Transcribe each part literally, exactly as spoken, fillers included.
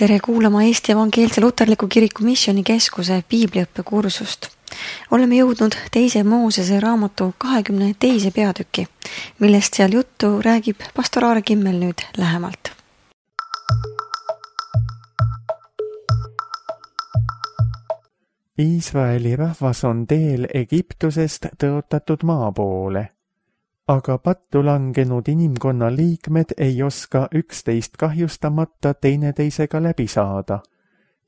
Tere kuulama Eesti Evangeelse Luterliku Kiriku Missioni Keskuse piibliõppekursust. Oleme jõudnud teise Moosese raamatu kahekümne teise peatüki, millest seal juttu räägib pastor Aare Kimmel nüüd lähemalt. Iisraeli rahvas on teel Egiptusest tõotatud maa poole. Aga pattu langenud inimkonna liikmed ei oska üksteist kahjustamata teineteisega läbi saada.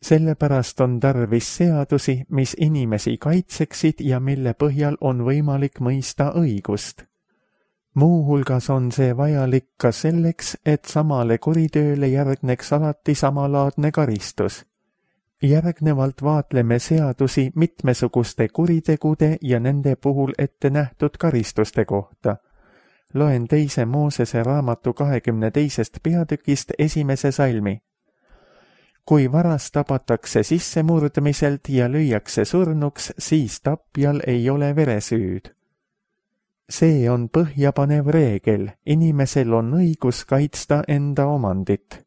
Sellepärast on tarvis seadusi, mis inimesi kaitseksid ja mille põhjal on võimalik mõista õigust. Muuhulgas on see vajalik ka selleks, et samale kuritööle järgneks alati samalaadne karistus. Järgnevalt vaatleme seadusi mitmesuguste kuritegude ja nende puhul ette nähtud karistuste kohta. Loen teise Moosese raamatu kahekümne teisest peatükist esimese salmi. Kui varas tabatakse sissemurdmiselt ja lüüakse surnuks, siis tapjal ei ole veresüüd. See on põhjapanev reegel, inimesel on õigus kaitsta enda omandit.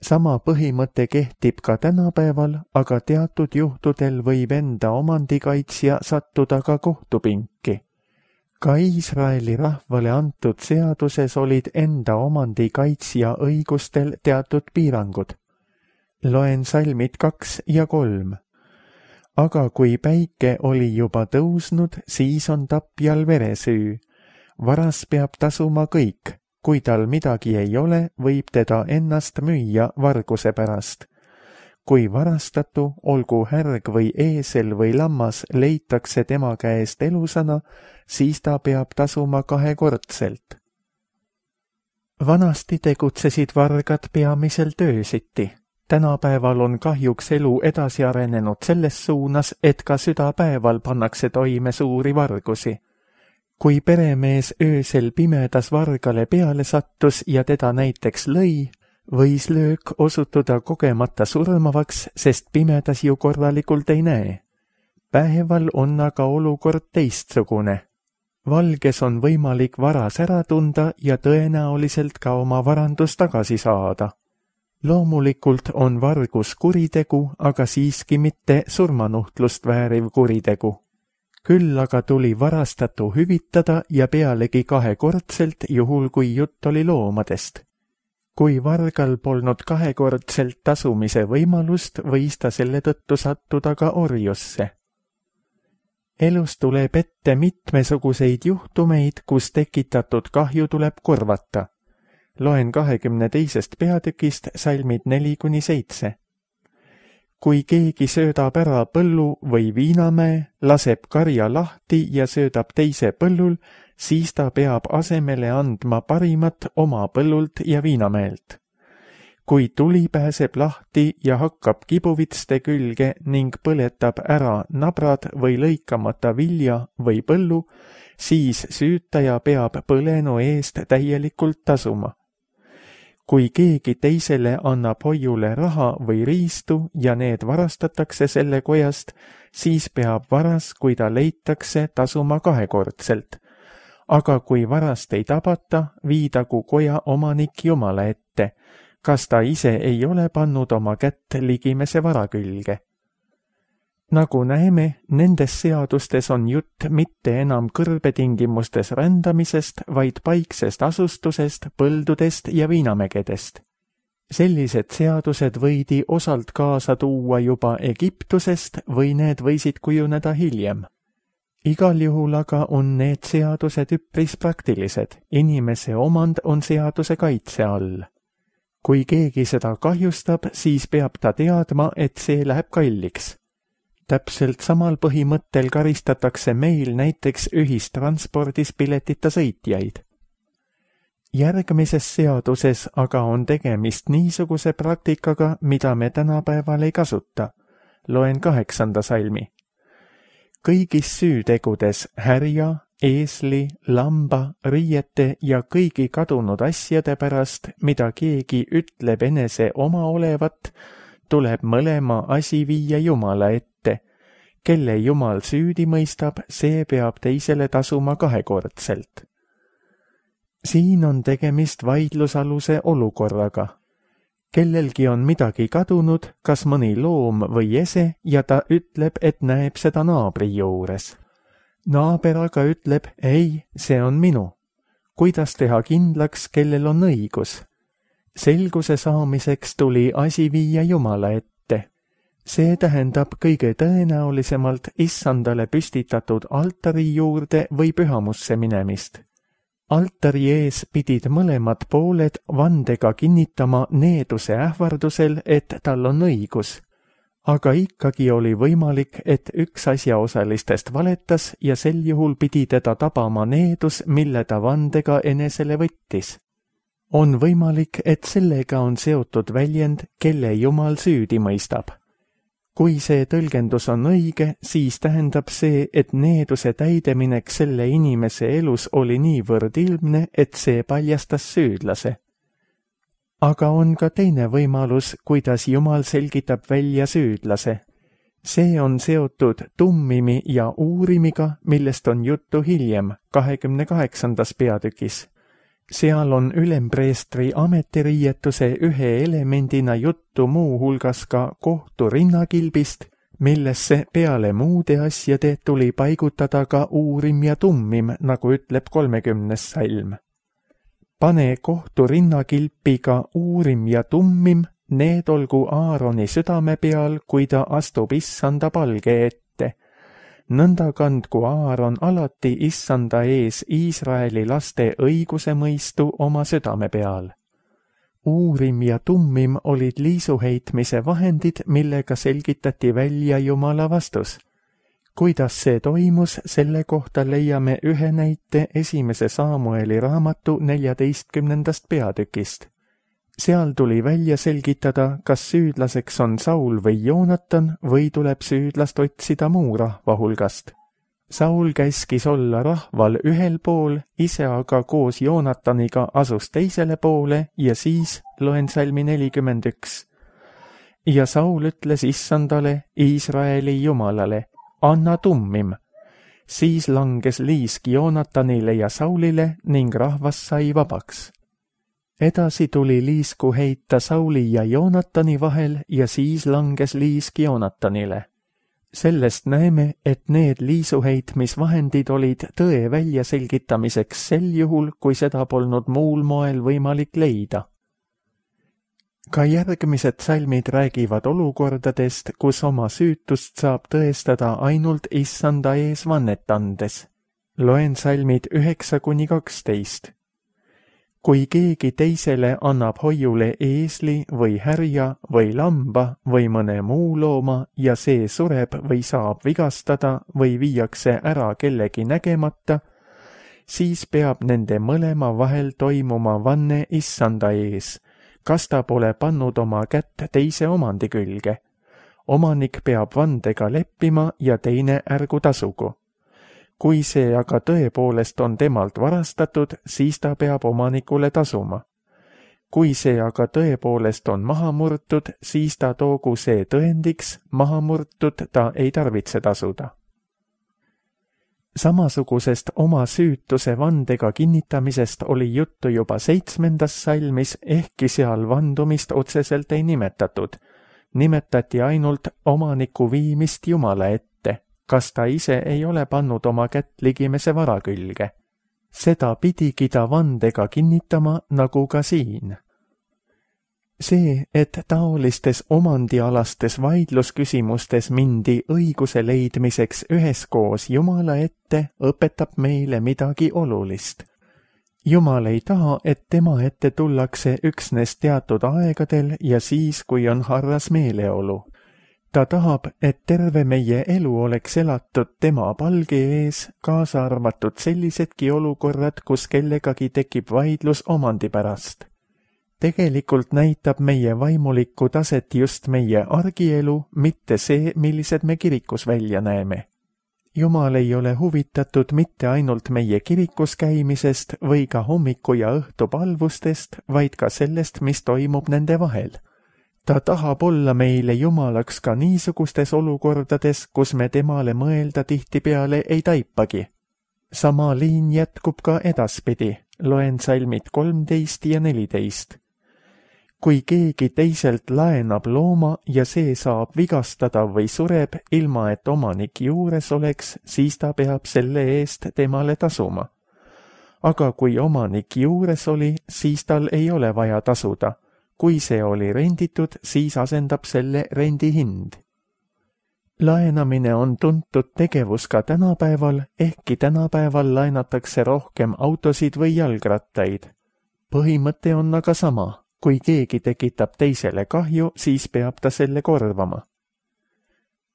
Sama põhimõte kehtib ka tänapäeval, aga teatud juhtudel võib enda omandikaitsja sattuda ka kohtupinki. Ka Iisraeli rahvale antud seaduses olid enda omandikaitsja õigustel teatud piirangud. Loen salmid kaks ja kolm. Aga kui päike oli juba tõusnud, siis on tapjal veresüü. Varas peab tasuma kõik. Kui tal midagi ei ole, võib teda ennast müüa varguse pärast. Kui varastatu, olgu härg või eesel või lammas, leitakse tema käest elusana, siis ta peab tasuma kahekordselt. Vanasti tegutsesid vargad peamiselt öösiti. Tänapäeval on kahjuks elu edasi arenenud selles suunas, et ka südapäeval pannakse toime suuri vargusi. Kui peremees öösel pimedas vargale peale sattus ja teda näiteks lõi, võis löök osutuda kogemata surmavaks, sest pimedas ju korralikult ei näe. Päeval on aga olukord teistsugune. Valges on võimalik varas ära tunda ja tõenäoliselt ka oma varandus tagasi saada. Loomulikult on vargus kuritegu, aga siiski mitte surmanuhtlust vääriv kuritegu. Küll aga tuli varastatu hüvitada ja pealegi kahekordselt, juhul kui jutt oli loomadest. Kui vargal polnud kahekordselt tasumise võimalust, võis ta selle tõttu sattuda ka orjusse. Elus tuleb ette mitmesuguseid juhtumeid, kus tekitatud kahju tuleb korvata. Loen kahekümne teisest peatükist salmid neli kuni seitse. Kui keegi söödab ära põllu või viinamäe, laseb karja lahti ja söödab teise põllul, siis ta peab asemele andma parimat oma põllult ja viinamäelt. Kui tuli pääseb lahti ja hakkab kibuvitste külge ning põletab ära nabrad või lõikamata vilja või põllu, siis süütaja peab põlenu eest täielikult tasuma. Kui keegi teisele annab hoiule raha või riistu ja need varastatakse selle kojast, siis peab varas, kui ta leitakse, tasuma kahekordselt. Aga kui varast ei tabata, viidagu koja omanik Jumala ette, kas ta ise ei ole pannud oma kätt ligimese vara külge. Nagu näeme, nendes seadustes on jutt mitte enam kõrbetingimustes rändamisest, vaid paiksest asustusest, põldudest ja viinamägedest. Sellised seadused võidi osalt kaasa tuua juba Egiptusest või need võisid kujuneda hiljem. Igal juhul aga on need seadused üpris praktilised, inimese omand on seaduse kaitse all. Kui keegi seda kahjustab, siis peab ta teadma, et see läheb kalliks. Täpselt samal põhimõttel karistatakse meil näiteks ühistranspordis piletita sõitjaid. Järgmises seaduses aga on tegemist niisuguse praktikaga, mida me tänapäeval ei kasuta. Loen kaheksanda salmi. Kõigis süütegudes härja, eesli, lamba, riiete ja kõigi kadunud asjade pärast, mida keegi ütleb enese oma olevat, tuleb mõlema asi viia Jumala ette. Kelle Jumal süüdi mõistab, see peab teisele tasuma kahekordselt. Siin on tegemist vaidlusaluse olukorraga. kellelgi on midagi kadunud, kas mõni loom või ese, ja ta ütleb, et näeb seda naabri juures. Naaber aga ütleb, ei, see on minu. Kuidas teha kindlaks, kellel on õigus? Selguse saamiseks tuli asi viia Jumala ette. See tähendab kõige tõenäolisemalt issandale püstitatud altari juurde või pühamusse minemist. Altari ees pidid mõlemad pooled vandega kinnitama needuse ähvardusel, et tal on õigus. Aga ikkagi oli võimalik, et üks asjaosalistest valetas ja sel juhul pidi teda tabama needus, mille ta vandega enesele võttis. On võimalik, et sellega on seotud väljend, kelle Jumal süüdi mõistab. Kui see tõlgendus on õige, siis tähendab see, et needuse täideminek selle inimese elus oli niivõrd ilmne, et see paljastas süüdlase. Aga on ka teine võimalus, kuidas Jumal selgitab välja süüdlase. See on seotud tummimi ja uurimiga, millest on juttu hiljem, kahekümne kaheksandas peatükis. Seal on ülempreestri ametiriietuse ühe elemendina juttu muu hulgas ka kohtu rinnakilbist, millesse peale muude asjade tuli paigutada ka uurim ja tummim, nagu ütleb kolmekümnes salm. Pane kohtu rinnakilpi ka uurim ja tummim, need olgu Aaroni südame peal, kui ta astub issanda palge ette. Nõnda kandku Aaron alati issanda ees Iisraeli laste õiguse mõistu oma südame peal. Uurim ja tummim olid liisuheitmise vahendid, millega selgitati välja Jumala vastus. Kuidas see toimus, selle kohta leiame ühe näite esimese Saamueli raamatu neljateistkümnendast peatükist. Seal tuli välja selgitada, kas süüdlaseks on Saul või Joonatan või tuleb süüdlast otsida muu rahva hulgast. Saul käskis olla rahval ühel pool, ise aga koos Joonataniga asus teisele poole ja siis loen salmi nelikümmend üks. Ja Saul ütles issandale, Iisraeli jumalale, anna tummim. Siis langes liisk Joonatanile ja Saulile ning rahvas sai vabaks. Edasi tuli liisku heita Sauli ja Joonatani vahel ja siis langes liisk Joonatanile. Sellest näeme, et need liisuheitmisvahendid olid tõe väljaselgitamiseks sel juhul, kui seda polnud muul moel võimalik leida. Ka järgmised salmid räägivad olukordadest, kus oma süütust saab tõestada ainult issanda ees vannet andes. Loen salmid üheksa kuni kaksteist. Kui keegi teisele annab hoiule eesli või härja või lamba või mõne muu looma ja see sureb või saab vigastada või viiakse ära kellegi nägemata, siis peab nende mõlema vahel toimuma vanne issanda ees, kas ta pole pannud oma kätt teise omandi külge. Omanik peab vandega leppima ja teine ärgu tasugu. Kui see aga tõepoolest on temalt varastatud, siis ta peab omanikule tasuma. Kui see aga tõepoolest on maha murtud, siis ta toogu see tõendiks, maha murtud ta ei tarvitse tasuda. Samasugusest oma süütuse vandega kinnitamisest oli juttu juba seitsmendas salmis, ehkki seal vandumist otseselt ei nimetatud. Nimetati ainult omaniku viimist Jumala ette. Kas ta ise ei ole pannud oma kätt ligimese vara külge. Seda pidigi ta vandega kinnitama, nagu ka siin. See, et taolistes omandialastes vaidlusküsimustes mindi õiguse leidmiseks üheskoos Jumala ette, õpetab meile midagi olulist. Jumal ei taha, et tema ette tullakse üksnes teatud aegadel ja siis, kui on harras meeleolu. Ta tahab, et terve meie elu oleks elatud tema palge ees, kaasa arvatud sellisedki olukorrad, kus kellegagi tekib vaidlus omandi pärast. Tegelikult näitab meie vaimulikku taset just meie argielu, mitte see, millised me kirikus välja näeme. Jumal ei ole huvitatud mitte ainult meie kirikus käimisest või ka hommiku ja õhtu palvustest, vaid ka sellest, mis toimub nende vahel. Ta tahab olla meile Jumalaks ka niisugustes olukordades, kus me temale mõelda tihtipeale ei taipagi. Sama liin jätkub ka edaspidi, loen salmid kolmteist ja neliteist. kui keegi teiselt laenab looma ja see saab vigastada või sureb, ilma et omanik juures oleks, siis ta peab selle eest temale tasuma. Aga kui omanik juures oli, siis tal ei ole vaja tasuda. Kui see oli renditud, siis asendab selle rendi hind. Laenamine on tuntud tegevus ka tänapäeval, ehkki tänapäeval laenatakse rohkem autosid või jalgrattaid. Põhimõte on aga sama. Kui keegi tekitab teisele kahju, siis peab ta selle korvama.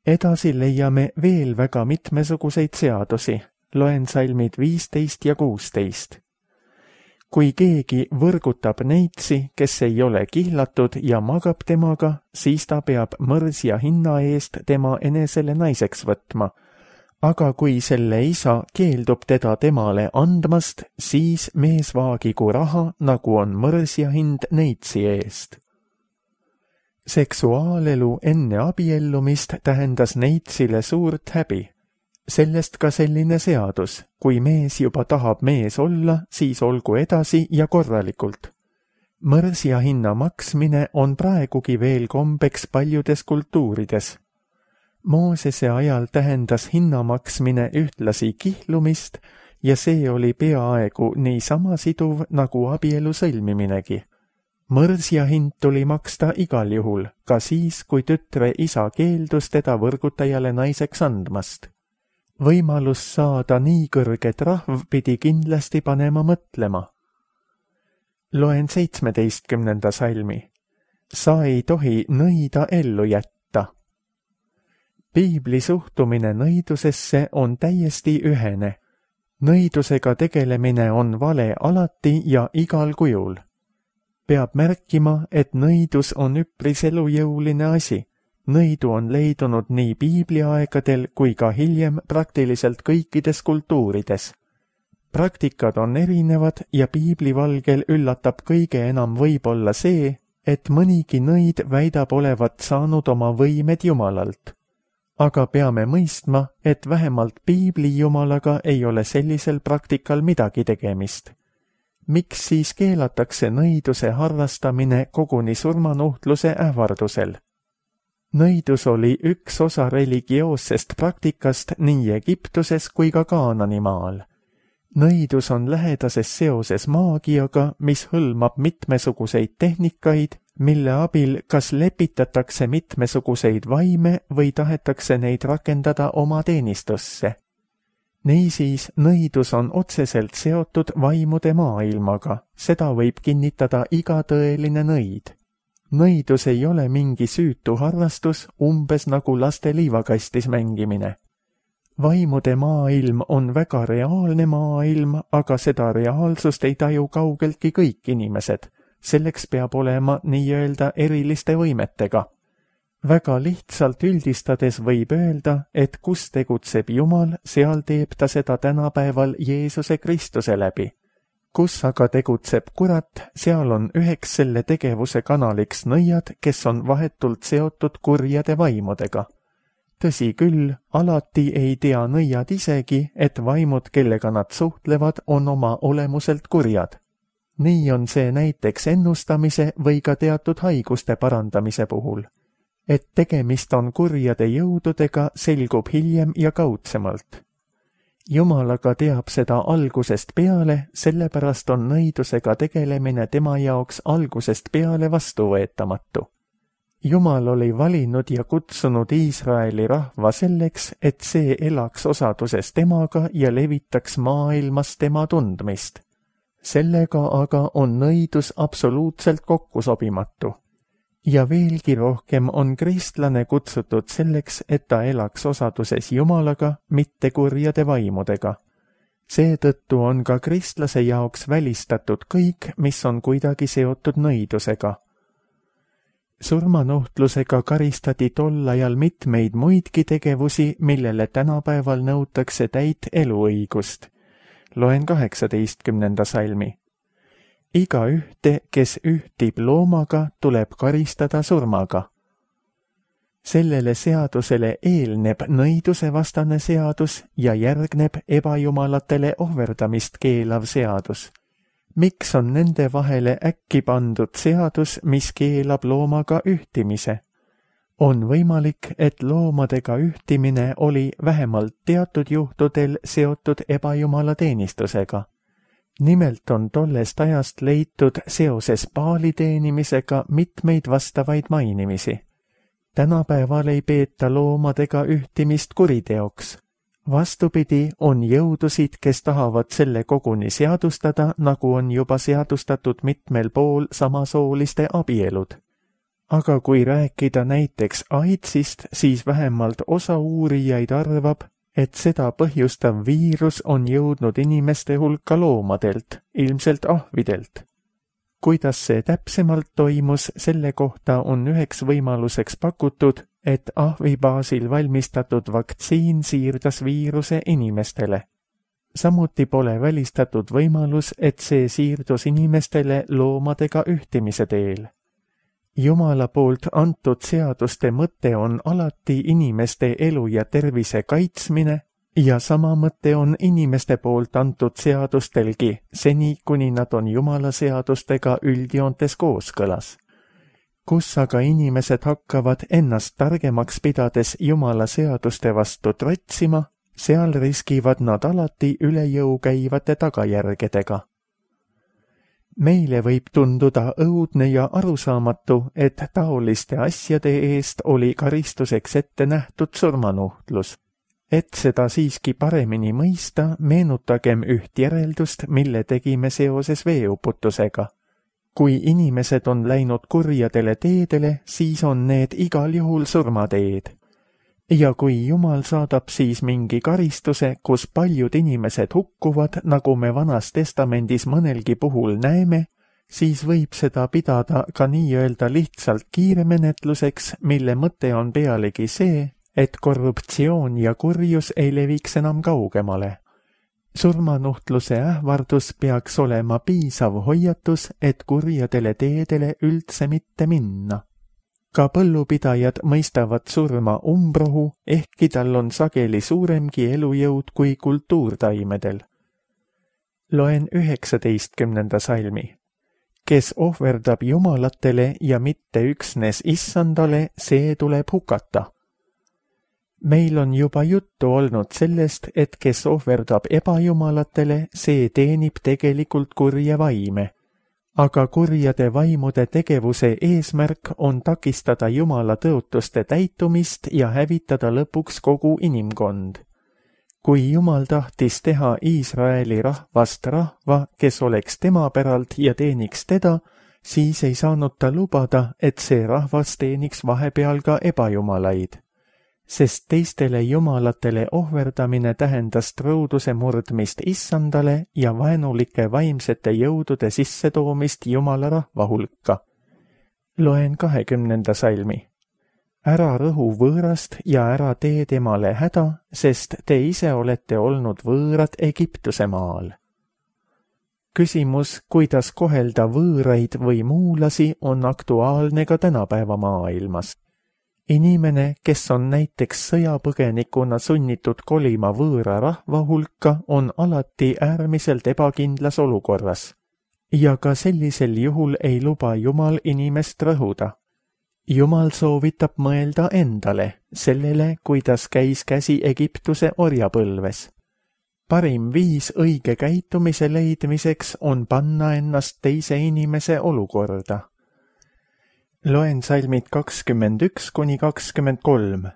Edasi leiame veel väga mitmesuguseid seadusi. Loen salmid viisteist ja kuusteist. Kui keegi võrgutab neitsi, kes ei ole kihlatud ja magab temaga, siis ta peab mõrsja hinna eest tema enesele naiseks võtma. Aga kui selle isa keeldub teda temale andmast, siis mees vaagigu raha, nagu on mõrsja hind neitsi eest. Seksuaalelu enne abiellumist tähendas neitsile suurt häbi. Sellest ka selline seadus, kui mees juba tahab mees olla, siis olgu edasi ja korralikult. Mõrsja hinna maksmine on praegugi veel kombeks paljudes kultuurides. Moosese ajal tähendas hinna maksmine ühtlasi kihlumist ja see oli peaaegu nii sama siduv nagu abielu sõlmiminegi. Mõrsja hind tuli maksta igal juhul, ka siis, kui tütre isa keeldus teda võrgutajale naiseks andmast. Võimalus saada nii kõrget rahv pidi kindlasti panema mõtlema. Loen seitsmeteistkümnenda salmi. Sa ei tohi nõida ellu jätta. Piibli suhtumine nõidusesse on täiesti ühene. Nõidusega tegelemine on vale alati ja igal kujul. Peab märkima, et nõidus on üpris elujõuline asi. Nõidu on leidunud nii piibliaegadel kui ka hiljem praktiliselt kõikides kultuurides. Praktikad on erinevad ja piiblivalgel üllatab kõige enam võib-olla see, et mõnigi nõid väidab olevat saanud oma võimed Jumalalt. Aga peame mõistma, et vähemalt piibli Jumalaga ei ole sellisel praktikal midagi tegemist. Miks siis keelatakse nõiduse harrastamine koguni surmanuhtluse ähvardusel? Nõidus oli üks osa religioossest praktikast nii Egiptuses kui ka Kaananimaal. Nõidus on lähedases seoses maagiaga, mis hõlmab mitmesuguseid tehnikaid, mille abil kas lepitatakse mitmesuguseid vaime või tahetakse neid rakendada oma teenistusse. Niisiis, nõidus on otseselt seotud vaimude maailmaga, seda võib kinnitada iga tõeline nõid. Nõidus ei ole mingi süütu harrastus, umbes nagu laste liivakastis mängimine. Vaimude maailm on väga reaalne maailm, aga seda reaalsust ei taju kaugeltki kõik inimesed. Selleks peab olema nii-öelda eriliste võimetega. Väga lihtsalt üldistades võib öelda, et kus tegutseb Jumal, seal teeb ta seda tänapäeval Jeesuse Kristuse läbi. Kus aga tegutseb kurat, seal on üheks selle tegevuse kanaliks nõiad, kes on vahetult seotud kurjade vaimudega. Tõsi küll, alati ei tea nõiad isegi, et vaimud, kellega nad suhtlevad, on oma olemuselt kurjad. Nii on see näiteks ennustamise või ka teatud haiguste parandamise puhul. Et tegemist on kurjade jõududega, selgub hiljem ja kaudsemalt. Jumal aga teab seda algusest peale, sellepärast on nõidusega tegelemine tema jaoks algusest peale vastuvõetamatu. Jumal oli valinud ja kutsunud Iisraeli rahva selleks, et see elaks osaduses temaga ja levitaks maailmas tema tundmist. Sellega aga on nõidus absoluutselt kokkusobimatu. Ja veelgi rohkem on kristlane kutsutud selleks, et ta elaks osaduses Jumalaga, mitte kurjade vaimudega. Seetõttu on ka kristlase jaoks välistatud kõik, mis on kuidagi seotud nõidusega. Surmanuhtlusega karistati tol ajal mitmeid muidki tegevusi, millele tänapäeval nõutakse täit eluõigust. Loen kaheksateistkümnenda salmi. Iga ühte, kes ühtib loomaga, tuleb karistada surmaga. Sellele seadusele eelneb nõidusevastane seadus ja järgneb ebajumalatele ohverdamist keelav seadus. Miks on nende vahele äkki pandud seadus, mis keelab loomaga ühtimise? On võimalik, et loomadega ühtimine oli vähemalt teatud juhtudel seotud ebajumala teenistusega. Nimelt on tollest ajast leitud seoses paali teenimisega mitmeid vastavaid mainimisi. Tänapäeval ei peeta loomadega ühtimist kuriteoks. Vastupidi, on jõudusid, kes tahavad selle koguni seadustada, nagu on juba seadustatud mitmel pool samasooliste abielud. Aga kui rääkida näiteks AIDSist, siis vähemalt osa uurijaid arvab, et seda põhjustav viirus on jõudnud inimeste hulka loomadelt, ilmselt ahvidelt. Kuidas see täpsemalt toimus, selle kohta on üheks võimaluseks pakutud, et ahvi baasil valmistatud vaktsiin siirdas viiruse inimestele. Samuti pole välistatud võimalus, et see siirdus inimestele loomadega ühtimise teel. Jumala poolt antud seaduste mõte on alati inimeste elu ja tervise kaitsmine ja sama mõte on inimeste poolt antud seadustelgi, seni kuni nad on Jumala seadustega üldjoontes kooskõlas. Kus aga inimesed hakkavad ennast targemaks pidades Jumala seaduste vastu trotsima, seal riskivad nad alati üle jõu käivate tagajärgedega. Meile võib tunduda õudne ja arusaamatu, et taoliste asjade eest oli karistuseks ette nähtud surmanuhtlus. Et seda siiski paremini mõista, meenutagem üht järeldust, mille tegime seoses veeuputusega. Kui inimesed on läinud kurjadele teedele, siis on need igal juhul surmateed. Ja kui Jumal saadab siis mingi karistuse, kus paljud inimesed hukkuvad, nagu me Vanas Testamendis mõnelgi puhul näeme, siis võib seda pidada ka nii-öelda lihtsalt kiiremenetluseks, mille mõte on pealegi see, et korruptsioon ja kurjus ei leviks enam kaugemale. Surmanuhtluse ähvardus peaks olema piisav hoiatus, et kurjadele teedele üldse mitte minna. Ka põllupidajad mõistavad surma umbrohu, ehkki tal on sageli suuremgi elujõud kui kultuurtaimedel. Loen üheksateistkümnenda salmi. Kes ohverdab jumalatele ja mitte üksnes issandale, see tuleb hukata. Meil on juba juttu olnud sellest, et kes ohverdab ebajumalatele, see teenib tegelikult kurja vaime. Aga kurjade vaimude tegevuse eesmärk on takistada Jumala tõotuste täitumist ja hävitada lõpuks kogu inimkond. Kui Jumal tahtis teha Iisraeli rahvast rahva, kes oleks tema päralt ja teeniks teda, siis ei saanud ta lubada, et see rahvas teeniks vahepeal ka ebajumalaid. Sest teistele jumalatele ohverdamine tähendas truuduse murdmist issandale ja vaenulike vaimsete jõudude sissetoomist Jumala rahva hulka. Loen kahekümnenda salmi. Ära rõhu võõrast ja ära tee temale häda, sest te ise olete olnud võõrad Egiptuse maal. Küsimus, kuidas kohelda võõraid või muulasi, on aktuaalne ka tänapäeva maailmas. Inimene, kes on näiteks sõjapõgenikuna sunnitud kolima võõra rahva hulka, on alati äärmiselt ebakindlas olukorras. Ja ka sellisel juhul ei luba Jumal inimest rõhuda. Jumal soovitab mõelda endale, sellele, kuidas käis käsi Egiptuse orjapõlves. Parim viis õige käitumise leidmiseks on panna ennast teise inimese olukorda. Loen salmid kakskümmend üks kuni kakskümmend kolm.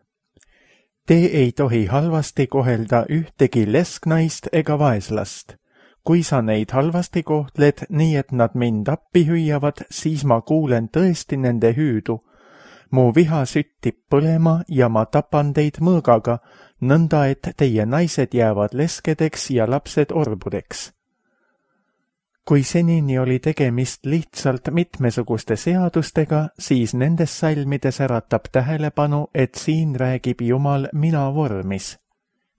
Te ei tohi halvasti kohelda ühtegi lesknaist ega vaeslast. Kui sa neid halvasti kohtled, nii et nad mind appi hüüavad, siis ma kuulen tõesti nende hüüdu. Mu viha süttib põlema ja ma tapan teid mõõgaga, nõnda et teie naised jäävad leskedeks ja lapsed orbudeks. Kui senini oli tegemist lihtsalt mitmesuguste seadustega, siis nendes salmides äratab tähelepanu, et siin räägib Jumal mina vormis.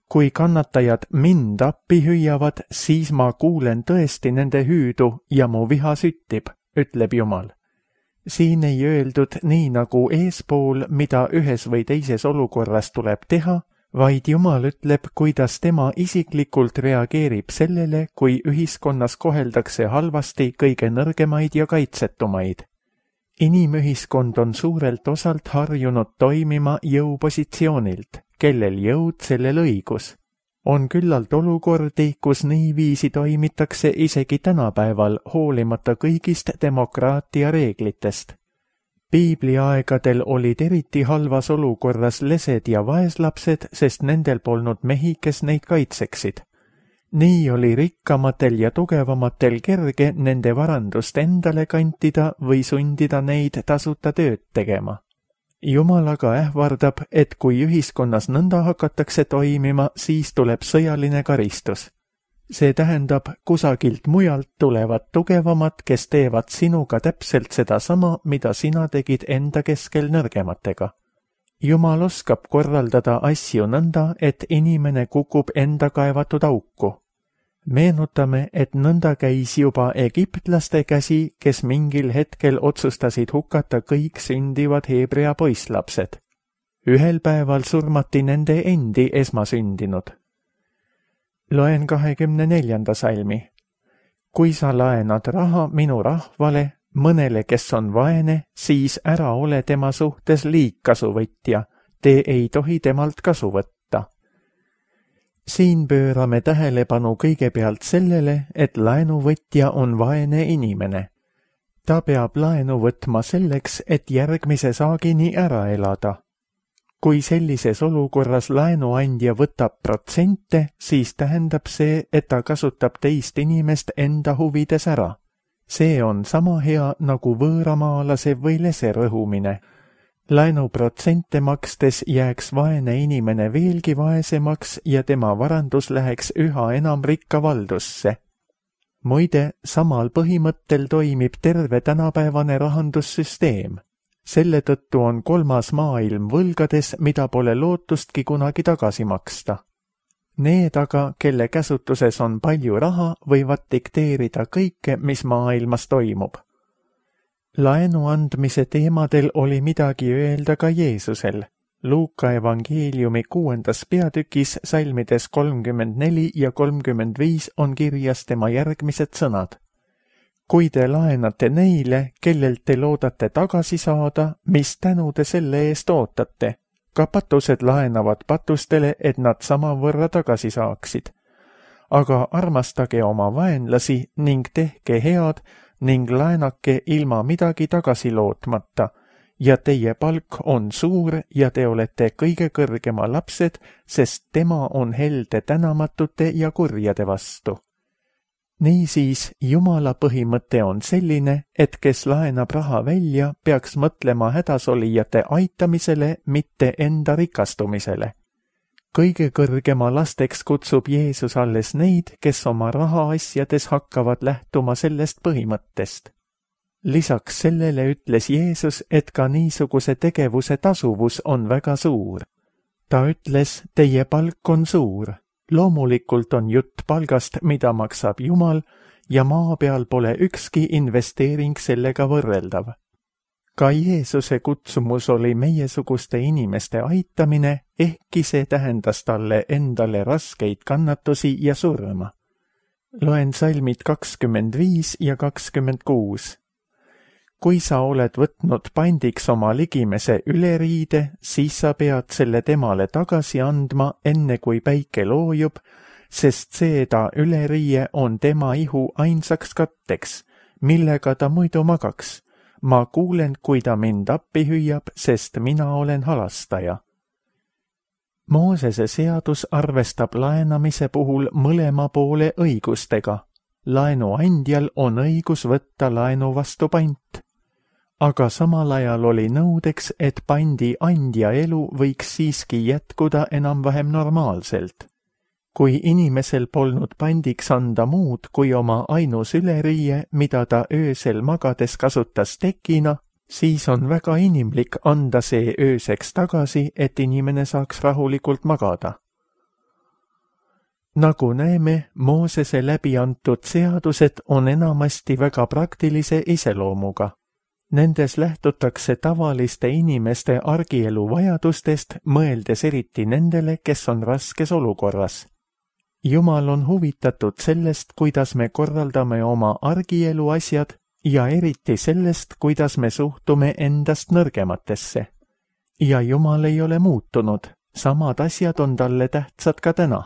Kui kannatajad mind appi hüüavad, siis ma kuulen tõesti nende hüüdu ja mu viha süttib, ütleb Jumal. Siin ei öeldud nii nagu eespool, mida ühes või teises olukorras tuleb teha, vaid Jumal ütleb, kuidas tema isiklikult reageerib sellele, kui ühiskonnas koheldakse halvasti kõige nõrgemaid ja kaitsetumaid. Inimühiskond on suurelt osalt harjunud toimima jõupositsioonilt, kellel jõud, sellel õigus. On küllalt olukordi, kus niiviisi toimitakse isegi tänapäeval, hoolimata kõigist demokraatia reeglitest. Piibliaegadel olid eriti halvas olukorras lesed ja vaeslapsed, sest nendel polnud mehi, kes neid kaitseksid. Nii oli rikkamatel ja tugevamatel kerge nende varandust endale kantida või sundida neid tasuta tööd tegema. Jumal aga ähvardab, et kui ühiskonnas nõnda hakatakse toimima, siis tuleb sõjaline karistus. See tähendab, kusagilt mujalt tulevad tugevamad, kes teevad sinuga täpselt sedasama, mida sina tegid enda keskel nõrgematega. Jumal oskab korraldada asju nõnda, et inimene kukub enda kaevatud auku. Meenutame, et nõnda käis juba egiptlaste käsi, kes mingil hetkel otsustasid hukata kõik sündivad Heebrea poisslapsed. Ühel päeval surmati nende endi esmasündinud. Loen kahekümne neljanda salmi. Kui sa laenad raha minu rahvale, mõnele, kes on vaene, siis ära ole tema suhtes liigkasuvõtja, te ei tohi temalt kasu võtta. Siin pöörame tähelepanu kõigepealt sellele, et laenuvõtja on vaene inimene. Ta peab laenu võtma selleks, et järgmise saagini ära elada. Kui sellises olukorras laenuandja võtab protsente, siis tähendab see, et ta kasutab teist inimest enda huvides ära. See on sama hea nagu võõramaalase või lese rõhumine. Laenuprotsente makstes jääks vaene inimene veelgi vaesemaks ja tema varandus läheks üha enam rikka valdusse. Muide, samal põhimõttel toimib terve tänapäevane rahandussüsteem. Selle tõttu on kolmas maailm võlgades, mida pole lootustki kunagi tagasi maksta. Need aga, kelle käsutuses on palju raha, võivad dikteerida kõike, mis maailmas toimub. Laenu andmise teemadel oli midagi öelda ka Jeesusel. Luuka evangeeliumi kuuendas peatükis salmides kolmkümmend neli ja kolmkümmend viis on kirjas tema järgmised sõnad. Kui te laenate neile, kellelt te loodate tagasi saada, mis tänu te selle eest ootate? Ka patused laenavad patustele, et nad samavõrra tagasi saaksid. Aga armastage oma vaenlasi ning tehke head ning laenake ilma midagi tagasi lootmata, ja teie palk on suur ja te olete kõige kõrgema lapsed, sest tema on helde tänamatute ja kurjade vastu. Niisiis, Jumala põhimõte on selline, et kes laenab raha välja, peaks mõtlema hädasolijate aitamisele, mitte enda rikastumisele. Kõige kõrgema lasteks kutsub Jeesus alles neid, kes oma rahaasjades hakkavad lähtuma sellest põhimõttest. Lisaks sellele ütles Jeesus, et ka niisuguse tegevuse tasuvus on väga suur. Ta ütles, teie palk on suur. Loomulikult on jutt palgast, mida maksab Jumal, ja maa peal pole ükski investeering sellega võrreldav. Ka Jeesuse kutsumus oli meiesuguste inimeste aitamine, ehkki see tähendas talle endale raskeid kannatusi ja surma. Loen salmid kakskümmend viis ja kakskümmend kuus. Kui sa oled võtnud pandiks oma ligimese üleriide, siis sa pead selle temale tagasi andma, enne kui päike loojub, sest see ta üleriie on tema ihu ainsaks katteks, millega ta muidu magaks. Ma kuulen, kui ta mind appi hüüab, sest mina olen halastaja. Moosese seadus arvestab laenamise puhul mõlema poole õigustega. Laenuandjal on õigus võtta laenu vastu pant. Aga samal ajal oli nõudeks, et pandi andja elu võiks siiski jätkuda enam-vähem normaalselt. Kui inimesel polnud pandiks anda muud kui oma ainus üleriie, mida ta öösel magades kasutas tekina, siis on väga inimlik anda see ööseks tagasi, et inimene saaks rahulikult magada. Nagu näeme, Moosese läbi antud seadused on enamasti väga praktilise iseloomuga. Nendes lähtutakse tavaliste inimeste argielu vajadustest, mõeldes eriti nendele, kes on raskes olukorras. Jumal on huvitatud sellest, kuidas me korraldame oma argielu asjad ja eriti sellest, kuidas me suhtume endast nõrgematesse. Ja Jumal ei ole muutunud, samad asjad on talle tähtsad ka täna.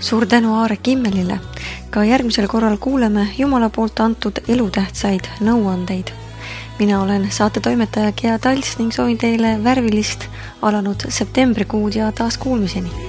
Suur tänu Aare Kimmelile. Ka järgmisel korral kuuleme Jumala poolt antud elutähtsaid nõuandeid. Mina olen saate toimetaja Gea Talts ning soovin teile värvilist alanud septembrikuud ja taas kuulmiseni.